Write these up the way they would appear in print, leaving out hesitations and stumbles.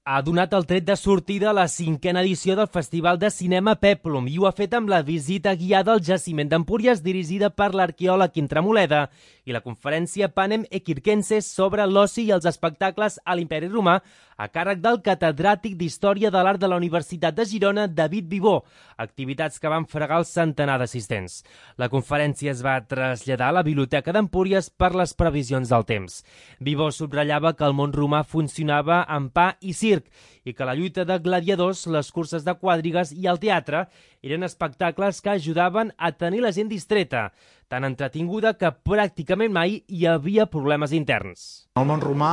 ha donat el tret de sortida a la 5a edició del Festival de Cinema Pèplum i ho ha fet amb la visita guiada al jaciment d'Empúries dirigida per l'arqueòleg Intramoleda i la conferència Panem Equirquenses sobre l'oci i els espectacles a l'Imperi Romà a càrrec del catedràtic d'Història de l'Art de la Universitat de Girona, David Vivó, activitats que van fregar el centenar d'assistents. La conferència es va traslladar a la Biblioteca d'Empúries per les previsions del temps. Vivó subratllava que el món romà funcionava amb pa i circ i que la lluita de gladiadors, les curses de quadrigues i el teatre eren espectacles que ajudaven a tenir la gent distreta, tan entretinguda que pràcticament mai hi havia problemes interns. El món romà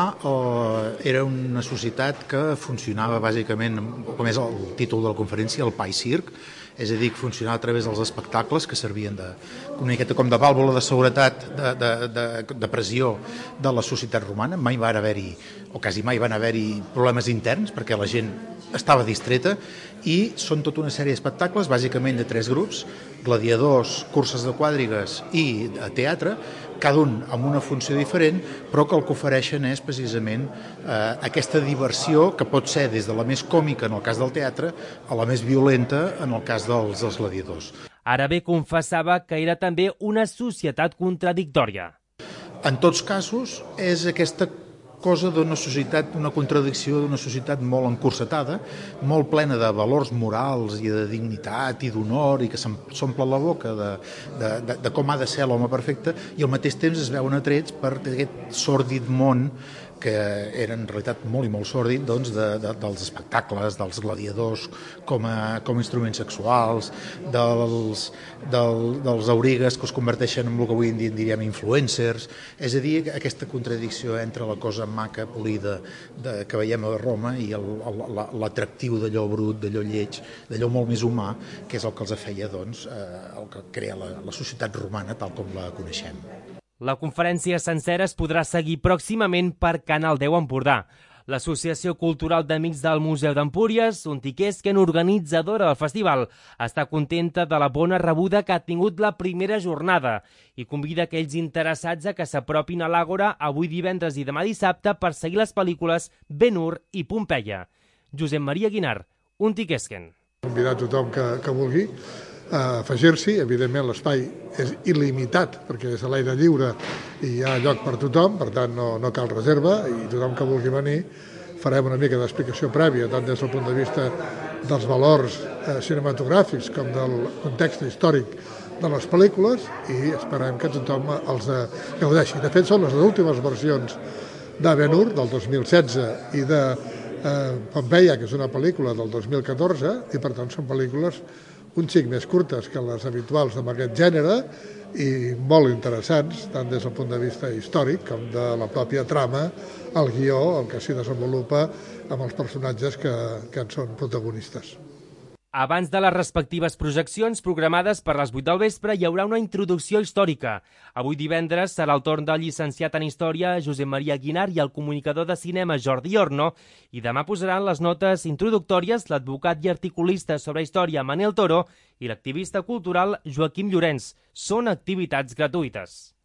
era una societat que funcionava bàsicament, com és el títol de la conferència, el pa i circ, és a dir, que funcionava a través dels espectacles que servien una miqueta com de vàlvula de seguretat, de pressió de la societat romana. Mai van haver-hi, o quasi mai van haver-hi problemes interns perquè la gent estava distreta i són tota una sèrie d'espectacles, bàsicament de 3 grups, gladiadors, curses de quadrigues i teatre, cada un amb una funció diferent, però que el que ofereixen és precisament aquesta diversió que pot ser des de la més còmica en el cas del teatre a la més violenta en el cas dels gladiadors. Ara bé, confessava que era també una societat contradictòria. En tots casos, és aquesta cosa d'una societat, una contradicció d'una societat molt encursetada, molt plena de valors morals i de dignitat i d'honor i que s'omple la boca de com ha de ser l'home perfecte i al mateix temps es veuen atrets per aquest sòrdid món que era en realitat molt i molt sòrdid dels espectacles, dels gladiadors com a instruments sexuals, dels aurigues que es converteixen en el que avui en dia en diríem influencers, és a dir, aquesta contradicció entre la cosa maca, polida que veiem a Roma i l'atractiu d'allò brut, d'allò lleig, d'allò molt més humà, que és el que els feia el que crea la societat romana tal com la coneixem. La conferència sencera es podrà seguir pròximament per Canal 10 Empordà. L'Associació Cultural d'Amics del Museu d'Empúries, Untiquesquen, organitzadora del festival, està contenta de la bona rebuda que ha tingut la primera jornada i convida aquells interessats a que s'apropin a l'Àgora avui divendres i demà dissabte per seguir les pel·lícules Ben-Hur i Pompeia. Josep Maria Guinar, Untiquesquen. Convidar tothom que vulgui a afegir-s'hi. Evidentment l'espai és il·limitat perquè és a l'aire lliure i hi ha lloc per tothom, per tant no cal reserva i tothom que vulgui venir farem una mica d'explicació prèvia tant des del punt de vista dels valors cinematogràfics com del context històric de les pel·lícules i esperem que tothom els gaudeixi. De fet, són les últimes versions de Ben-Hur del 2016 i de Pompeia, que és una pel·lícula del 2014 i per tant són pel·lícules un xic més curtes que les habituals amb aquest gènere i molt interessants, tant des del punt de vista històric com de la pròpia trama, el guió, el que s'hi desenvolupa amb els personatges que en són protagonistes. Abans de les respectives projeccions programades per les 8 del vespre hi haurà una introducció històrica. Avui divendres serà el torn del llicenciat en Història Josep Maria Guinar i el comunicador de cinema Jordi Orno i demà posaran les notes introductòries l'advocat i articulista sobre història Manel Toro i l'activista cultural Joaquim Llorenç. Són activitats gratuïtes.